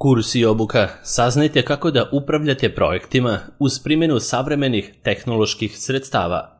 Kurs i obuka. Saznajte kako da upravljate projektima uz primjenu savremenih tehnoloških sredstava.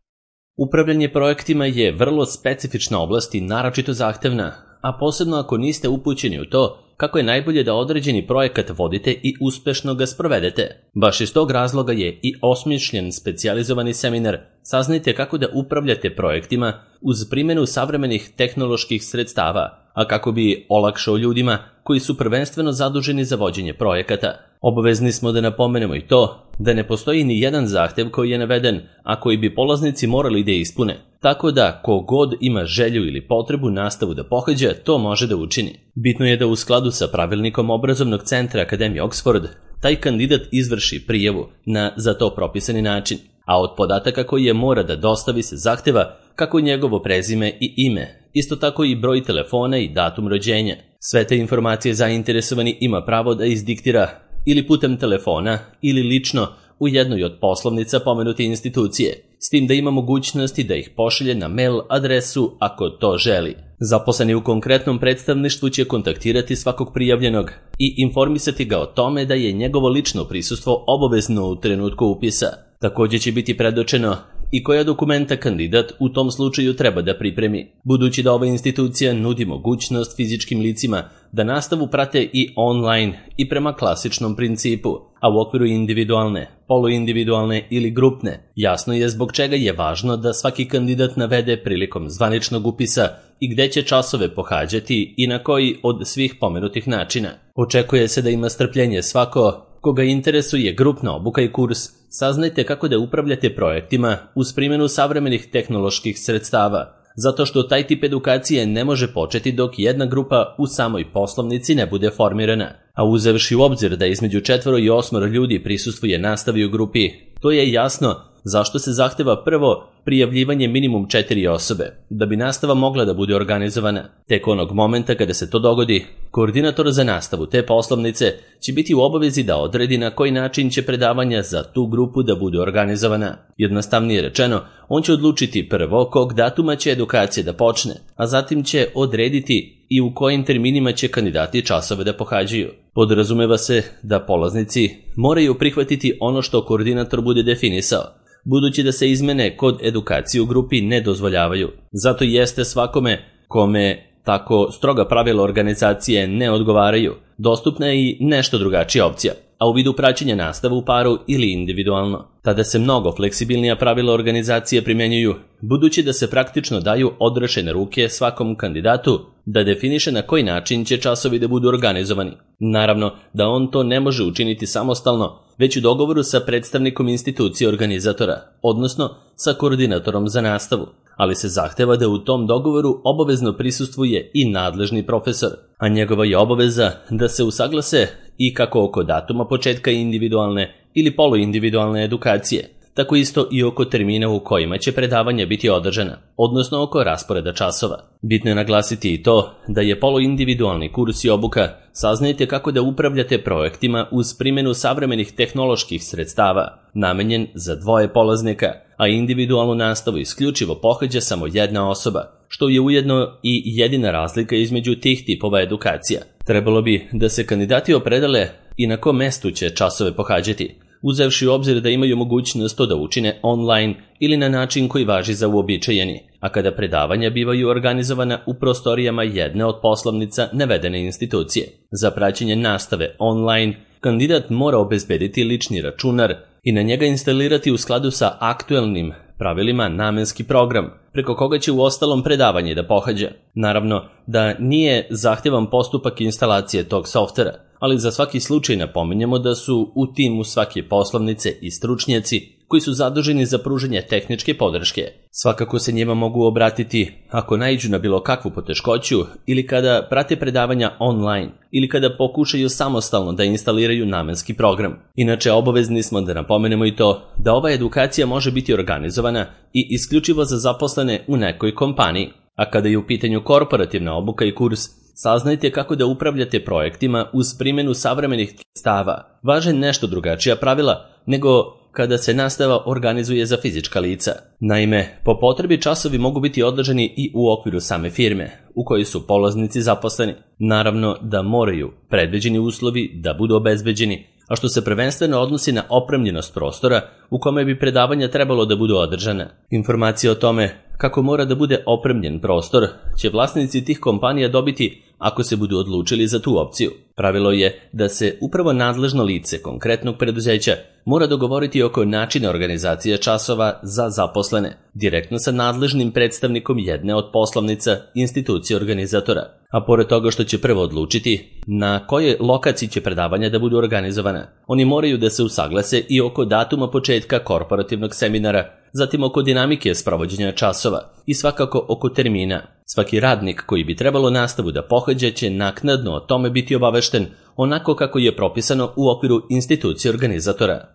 Upravljanje projektima je vrlo specifična oblast i naročito zahtevna, a posebno ako niste upućeni u to kako je najbolje da određeni projekat vodite i uspešno ga sprovedete. Baš iz tog razloga je i osmišljen specijalizovani seminar Saznajte kako da upravljate projektima uz primjenu savremenih tehnoloških sredstava, a kako bi olakšao ljudima koji su prvenstveno zaduženi za vođenje projekata. Obavezni smo da napomenemo i to da ne postoji ni jedan zahtev koji je naveden, a koji bi polaznici morali da ispune. Tako da, ko god ima želju ili potrebu nastavu da pohađa, to može da učini. Bitno je da u skladu sa pravilnikom Obrazovnog centra Akademije Oxford, taj kandidat izvrši prijavu na za to propisani način, a od podataka koje mora da dostavi se zahteva kako njegovo prezime i ime, isto tako i broj telefona i datum rođenja. Sve te informacije zainteresovani ima pravo da izdiktira ili putem telefona ili lično u jednoj od poslovnica pomenute institucije, s tim da ima mogućnosti da ih pošalje na mail adresu ako to želi. Zaposleni u konkretnom predstavništvu će kontaktirati svakog prijavljenog i informisati ga o tome da je njegovo lično prisustvo obavezno u trenutku upisa. Također će biti predočeno i koja dokumenta kandidat u tom slučaju treba da pripremi, budući da ova institucija nudi mogućnost fizičkim licima da nastavu prate i online i prema klasičnom principu, a u okviru individualne, poluindividualne ili grupne. Jasno je zbog čega je važno da svaki kandidat navede prilikom zvaničnog upisa i gde će časove pohađati i na koji od svih pomenutih načina. Očekuje se da ima strpljenje svako koga interesuje grupna obuka i kurs. Saznajte kako da upravljate projektima uz primjenu savremenih tehnoloških sredstava, zato što taj tip edukacije ne može početi dok jedna grupa u samoj poslovnici ne bude formirana. A uzevši u obzir da između 4 i 8 ljudi prisustvuje nastavi u grupi, to je jasno zašto se zahteva prvo prijavljivanje minimum 4 osobe, da bi nastava mogla da bude organizovana. Tek onog momenta kada se to dogodi, koordinator za nastavu te poslovnice će biti u obavezi da odredi na koji način će predavanja za tu grupu da bude organizovana. Jednostavnije rečeno, on će odlučiti prvo kog datuma će edukacija da počne, a zatim će odrediti i u kojim terminima će kandidati časove da pohađaju. Podrazumeva se da polaznici moraju prihvatiti ono što koordinator bude definisao, budući da se izmene kod edukacije u grupi ne dozvoljavaju. Zato jeste svakome kome tako stroga pravila organizacije ne odgovaraju, dostupna je i nešto drugačija opcija, a u vidu praćenja nastave u paru ili individualno. Tada se mnogo fleksibilnija pravila organizacije primjenjuju, budući da se praktično daju odrešene ruke svakom kandidatu da definiše na koji način će časovi da budu organizovani. Naravno da on to ne može učiniti samostalno, već u dogovoru sa predstavnikom institucije organizatora, odnosno sa koordinatorom za nastavu, ali se zahteva da u tom dogovoru obavezno prisustvuje i nadležni profesor, a njegova je obaveza da se usaglase i kako oko datuma početka individualne ili poluindividualne edukacije, tako isto i oko termina u kojima će predavanja biti održana, odnosno oko rasporeda časova. Bitno je naglasiti i to da je poluindividualni kurs i obuka Saznajte kako da upravljate projektima uz primjenu savremenih tehnoloških sredstava, namenjen za 2 polaznika, a individualnu nastavu isključivo pohađa samo jedna osoba, što je ujedno i jedina razlika između tih tipova edukacija. Trebalo bi da se kandidati opredele i na kom mestu će časove pohađati, uzevši u obzir da imaju mogućnost to da učine online ili na način koji važi za uobičajeni, a kada predavanja bivaju organizovana u prostorijama jedne od poslovnica navedene institucije. Za praćenje nastave online, kandidat mora obezbediti lični računar i na njega instalirati u skladu sa aktuelnim pravilima namenski program, preko koga će u ostalom predavanje da pohađa. Naravno da nije zahtevan postupak instalacije tog softvera, ali za svaki slučaj napominjemo da su u timu svake poslovnice i stručnjaci koji su zaduženi za pružanje tehničke podrške. Svakako se njima mogu obratiti ako naiđu na bilo kakvu poteškoću ili kada prate predavanja online ili kada pokušaju samostalno da instaliraju namenski program. Inače, obavezni smo da napomenemo i to da ova edukacija može biti organizovana i isključivo za zaposlene u nekoj kompaniji, a kada je u pitanju korporativna obuka i kurs, saznajte kako da upravljate projektima uz primjenu savremenih sredstava. Važe nešto drugačija pravila nego kada se nastava organizuje za fizička lica. Naime, po potrebi časovi mogu biti održani i u okviru same firme, u kojoj su polaznici zaposleni. Naravno da moraju predviđeni uslovi da budu obezbeđeni, a što se prvenstveno odnosi na opremljenost prostora u kome bi predavanja trebalo da budu održana. Informacije o tome kako mora da bude opremljen prostor će vlasnici tih kompanija dobiti ako se budu odlučili za tu opciju. Pravilo je da se upravo nadležno lice konkretnog preduzeća mora dogovoriti oko načina organizacije časova za zaposlene, direktno sa nadležnim predstavnikom jedne od poslovnica institucije organizatora. A pored toga što će prvo odlučiti na kojoj lokaciji će predavanja da budu organizovana, oni moraju da se usaglase i oko datuma početka korporativnog seminara, zatim oko dinamike sprovođenja časova i svakako oko termina. Svaki radnik koji bi trebalo nastavu da pohađa će naknadno o tome biti obavešten onako kako je propisano u okviru institucije organizatora.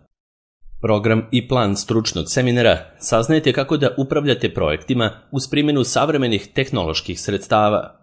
Program i plan stručnog seminara saznajte kako da upravljate projektima uz primjenu savremenih tehnoloških sredstava.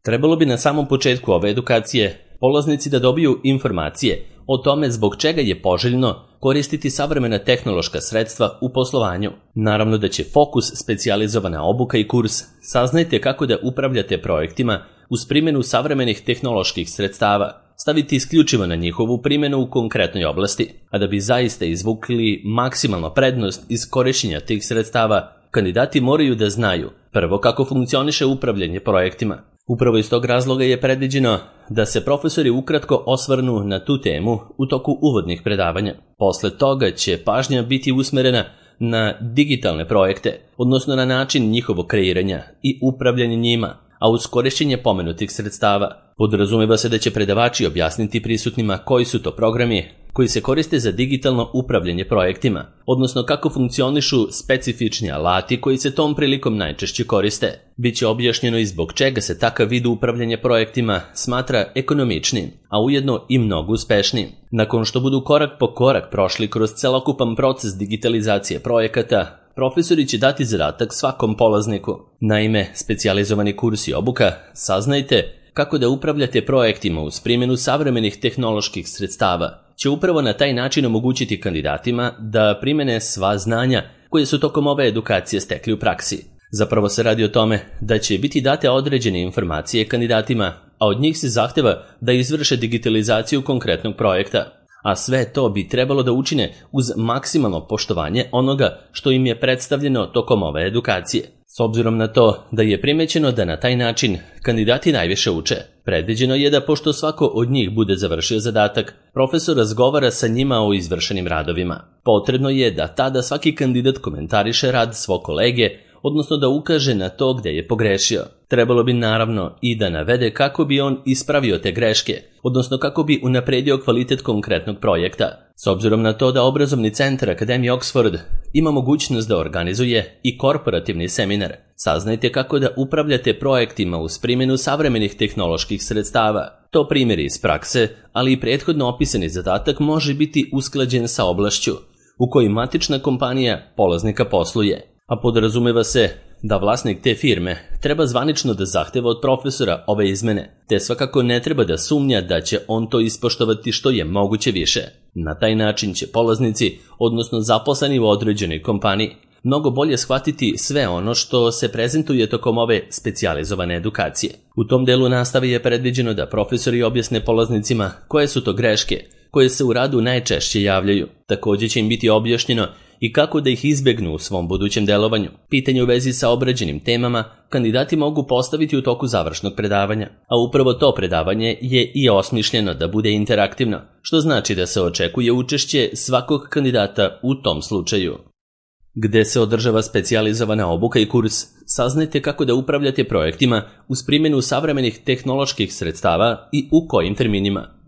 Trebalo bi na samom početku ove edukacije polaznici da dobiju informacije o tome zbog čega je poželjno koristiti savremena tehnološka sredstva u poslovanju. Naravno da će fokus specijalizovana obuka i kurs saznajte kako da upravljate projektima uz primjenu savremenih tehnoloških sredstava, staviti isključivo na njihovu primjenu u konkretnoj oblasti, a da bi zaista izvukli maksimalnu prednost iz korišćenja tih sredstava, kandidati moraju da znaju prvo kako funkcioniše upravljanje projektima. Upravo iz tog razloga je predviđeno da se profesori ukratko osvrnu na tu temu u toku uvodnih predavanja. Posle toga će pažnja biti usmerena na digitalne projekte, odnosno na način njihovog kreiranja i upravljanja njima, a uz korišćenje pomenutih sredstava. Podrazumeva se da će predavači objasniti prisutnima koji su to programi koji se koriste za digitalno upravljanje projektima, odnosno kako funkcionišu specifični alati koji se tom prilikom najčešće koriste. Biće objašnjeno i zbog čega se takav vid upravljanja projektima smatra ekonomičnim, a ujedno i mnogo uspešnijim. Nakon što budu korak po korak prošli kroz celokupan proces digitalizacije projekata, profesori će dati zadatak svakom polazniku. Naime, specijalizovani kurs i obuka saznajte kako da upravljate projektima uz primjenu savremenih tehnoloških sredstava će upravo na taj način omogućiti kandidatima da primene sva znanja koje su tokom ove edukacije stekli u praksi. Zapravo se radi o tome da će biti date određene informacije kandidatima, a od njih se zahteva da izvrše digitalizaciju konkretnog projekta. A sve to bi trebalo da učine uz maksimalno poštovanje onoga što im je predstavljeno tokom ove edukacije. S obzirom na to da je primećeno da na taj način kandidati najviše uče, predviđeno je da pošto svako od njih bude završio zadatak, profesor razgovara sa njima o izvršenim radovima. Potrebno je da tada svaki kandidat komentariše rad svog kolege, odnosno da ukaže na to gde je pogrešio. Trebalo bi naravno i da navede kako bi on ispravio te greške, odnosno kako bi unapredio kvalitet konkretnog projekta. S obzirom na to da obrazovni centar Akademije Oxford ima mogućnost da organizuje i korporativni seminar, saznajte kako da upravljate projektima uz primjenu savremenih tehnoloških sredstava. To primjeri iz prakse, ali i prethodno opisani zadatak može biti usklađen sa oblašću u kojoj matična kompanija polaznika posluje. A podrazumeva se da vlasnik te firme treba zvanično da zahteva od profesora ove izmene, te svakako ne treba da sumnja da će on to ispoštovati što je moguće više. Na taj način će polaznici, odnosno zaposleni u određenoj kompaniji, mnogo bolje shvatiti sve ono što se prezentuje tokom ove specijalizovane edukacije. U tom delu nastave je predviđeno da profesori objasne polaznicima koje su to greške koje se u radu najčešće javljaju. Također će im biti objašnjeno i kako da ih izbegnu u svom budućem delovanju. Pitanje u vezi sa obrađenim temama kandidati mogu postaviti u toku završnog predavanja, a upravo to predavanje je i osmišljeno da bude interaktivno, što znači da se očekuje učešće svakog kandidata u tom slučaju. Gde se održava specijalizovana obuka i kurs, saznajte kako da upravljate projektima uz primjenu savremenih tehnoloških sredstava i u kojim terminima.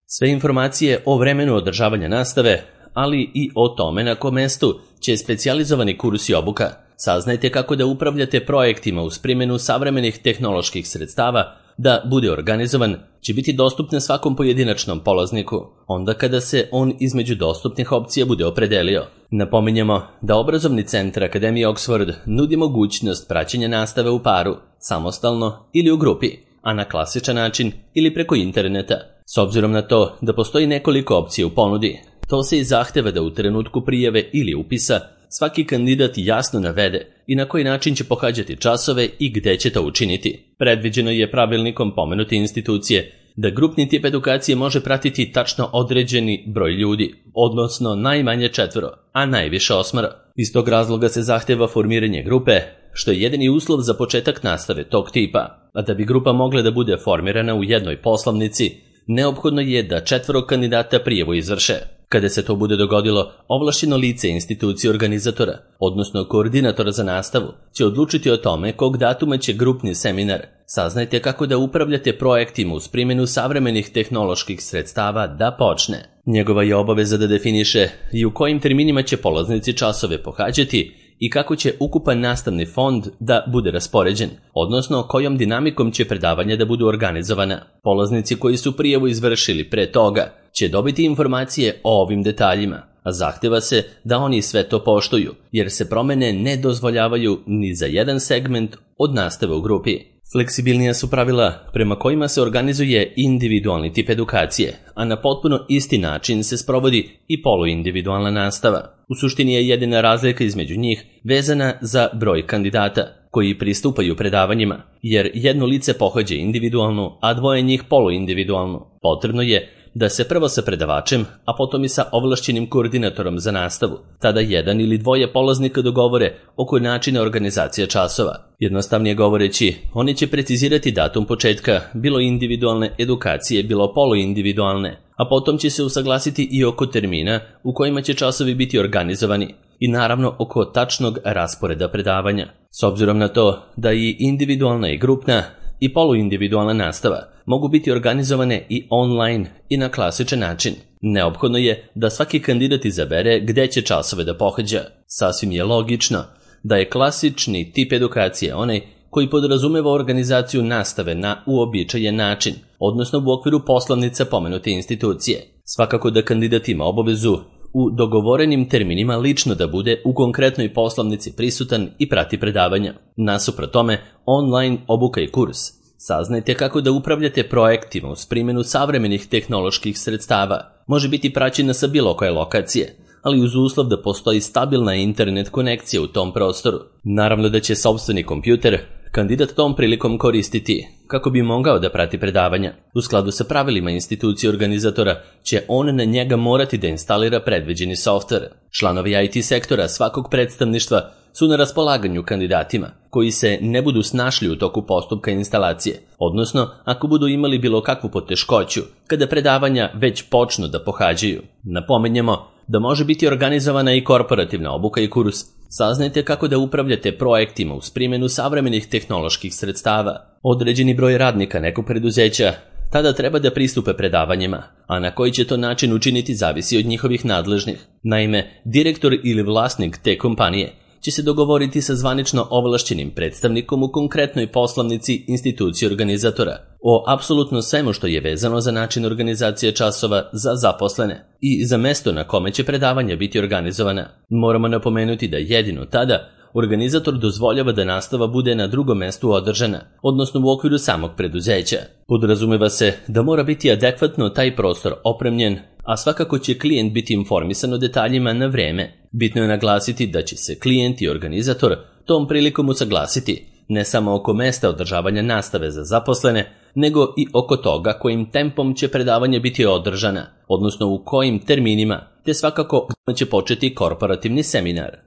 Sve informacije o vremenu održavanja nastave, ali i o tome na kom mestu će specijalizovani kurs i obuka. Saznajte kako da upravljate projektima uz primjenu savremenih tehnoloških sredstava da bude organizovan, će biti dostupne svakom pojedinačnom polazniku, onda kada se on između dostupnih opcija bude opredelio. Napominjemo da obrazovni centar Akademije Oxford nudi mogućnost praćenja nastave u paru, samostalno ili u grupi, a na klasičan način ili preko interneta. S obzirom na to da postoji nekoliko opcija u ponudi, To se i zahteva da u trenutku prijave ili upisa svaki kandidat jasno navede i na koji način će pohađati časove i gde će to učiniti. Predviđeno je pravilnikom pomenute institucije da grupni tip edukacije može pratiti tačno određeni broj ljudi, odnosno najmanje 4, a najviše 8. Iz tog razloga se zahteva formiranje grupe, što je jedini uslov za početak nastave tog tipa, a da bi grupa mogla da bude formirana u jednoj poslovnici, neophodno je da 4 kandidata prijavu izvrše. Kada se to bude dogodilo, ovlašćeno lice institucije organizatora, odnosno koordinatora za nastavu, će odlučiti o tome kog datuma će grupni seminar. Saznajte kako da upravljate projektima uz primjenu savremenih tehnoloških sredstava da počne. Njegova je obaveza da definiše i u kojim terminima će polaznici časove pohađati i kako će ukupan nastavni fond da bude raspoređen, odnosno kojom dinamikom će predavanja da budu organizovana. Polaznici koji su prijavu izvršili pre toga će dobiti informacije o ovim detaljima, a zahteva se da oni sve to poštuju, jer se promene ne dozvoljavaju ni za jedan segment od nastave u grupi. Fleksibilnija su pravila prema kojima se organizuje individualni tip edukacije, a na potpuno isti način se sprovodi i poluindividualna nastava. U suštini je jedina razlika između njih vezana za broj kandidata koji pristupaju predavanjima, jer jedno lice pohađa individualnu, a 2 njih poluindividualnu. Potrebno je da se prvo sa predavačem, a potom i sa ovlašćenim koordinatorom za nastavu. Tada 1 ili 2 polaznika dogovore oko načina organizacije časova. Jednostavnije govoreći, oni će precizirati datum početka bilo individualne edukacije, bilo poluindividualne, a potom će se usaglasiti i oko termina u kojima će časovi biti organizovani i naravno oko tačnog rasporeda predavanja. S obzirom na to da i individualna i grupna i poluindividualna nastava mogu biti organizovane i online i na klasičan način, neophodno je da svaki kandidat izabere gde će časove da pohađa. Sasvim je logično da je klasični tip edukacije onaj koji podrazumeva organizaciju nastave na uobičajen način, odnosno u okviru poslovnica pomenute institucije. Svakako da kandidat ima obavezu u dogovorenim terminima lično da bude u konkretnoj poslovnici prisutan i prati predavanja. Nasuprot tome, online obuka i kurs. Saznajte kako da upravljate projektima uz primjenu savremenih tehnoloških sredstava. Može biti praćena sa bilo koje lokacije, ali uz uslov da postoji stabilna internet konekcija u tom prostoru. Naravno da će sopstveni kompjuter kandidat tom prilikom koristiti kako bi mogao da prati predavanja. U skladu sa pravilima institucije organizatora će on na njega morati da instalira predviđeni softver. Članovi IT sektora svakog predstavništva su na raspolaganju kandidatima koji se ne budu snašli u toku postupka instalacije, odnosno ako budu imali bilo kakvu poteškoću kada predavanja već počnu da pohađaju. Napominjemo da može biti organizovana i korporativna obuka i kurs. Saznajte kako da upravljate projektima uz primjenu savremenih tehnoloških sredstava. Određeni broj radnika nekog preduzeća tada treba da pristupe predavanjima, a na koji će to način učiniti zavisi od njihovih nadležnih. Naime, direktor ili vlasnik te kompanije će se dogovoriti sa zvanično ovlašćenim predstavnikom u konkretnoj poslovnici institucije organizatora o apsolutno svemu što je vezano za način organizacije časova za zaposlene i za mesto na kome će predavanja biti organizovana. Moramo napomenuti da jedino tada organizator dozvoljava da nastava bude na drugom mestu održana, odnosno u okviru samog preduzeća. Podrazumeva se da mora biti adekvatno taj prostor opremljen, a svakako će klijent biti informisan o detaljima na vreme. Bitno je naglasiti da će se klijent i organizator tom prilikom usaglasiti ne samo oko mesta održavanja nastave za zaposlene, nego i oko toga kojim tempom će predavanje biti održana, odnosno u kojim terminima, te svakako gdje će početi korporativni seminar.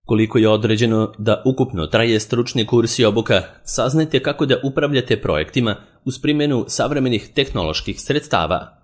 Koliko je određeno da ukupno traje stručni kurs i obuka, saznajte kako da upravljate projektima uz primjenu savremenih tehnoloških sredstava.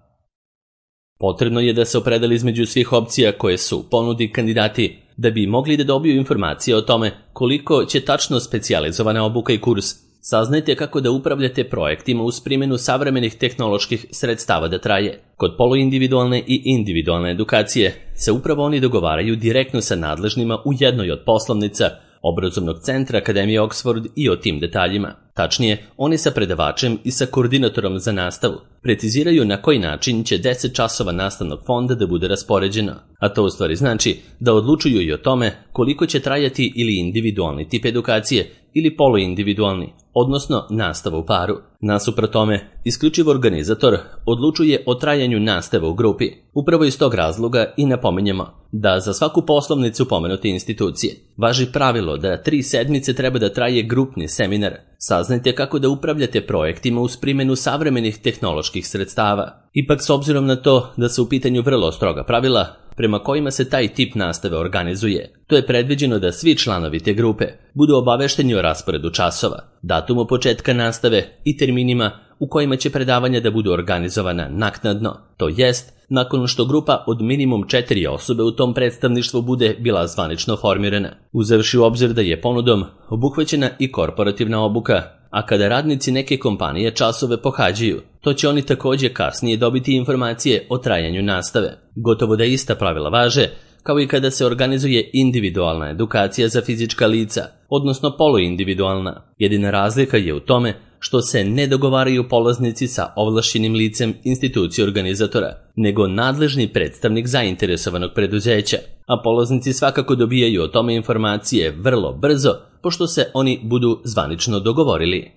Potrebno je da se opredeli između svih opcija koje su ponudi kandidati da bi mogli da dobiju informacije o tome koliko će tačno specijalizovana obuka i kurs. Saznajte kako da upravljate projektima uz primjenu savremenih tehnoloških sredstava da traje. Kod poluindividualne i individualne edukacije se upravo oni dogovaraju direktno sa nadležnima u jednoj od poslovnica obrazovnog centra Akademije Oxford i o tim detaljima. Tačnije, oni sa predavačem i sa koordinatorom za nastavu preciziraju na koji način će 10 časova nastavnog fonda da bude raspoređeno, a to u stvari znači da odlučuju i o tome koliko će trajati ili individualni tip edukacije ili poluindividualni, odnosno nastava u paru. Nasuprot tome, isključivo organizator odlučuje o trajanju nastave u grupi. Upravo iz tog razloga i napominjemo da za svaku poslovnicu pomenute institucije važi pravilo da 3 sedmice treba da traje grupni seminar. Saznajte kako da upravljate projektima uz primjenu savremenih tehnoloških sredstava. Ipak, s obzirom na to da su u pitanju vrlo stroga pravila prema kojima se taj tip nastave organizuje, to je predviđeno da svi članovi te grupe budu obavešteni o rasporedu časova, datumu početka nastave i terminima u kojima će predavanja da budu organizovana naknadno, to jest nakon što grupa od minimum 4 osobe u tom predstavništvu bude bila zvanično formirana, uzevši u obzir da je ponudom obuhvaćena i korporativna obuka, a kada radnici neke kompanije časove pohađaju, to će oni također kasnije dobiti informacije o trajanju nastave. Gotovo da ista pravila važe, kao i kada se organizuje individualna edukacija za fizička lica, odnosno poluindividualna. Jedina razlika je u tome što se ne dogovaraju polaznici sa ovlašćenim licem institucije organizatora, nego nadležni predstavnik zainteresovanog preduzeća, a polaznici svakako dobijaju o tome informacije vrlo brzo, pošto se oni budu zvanično dogovorili.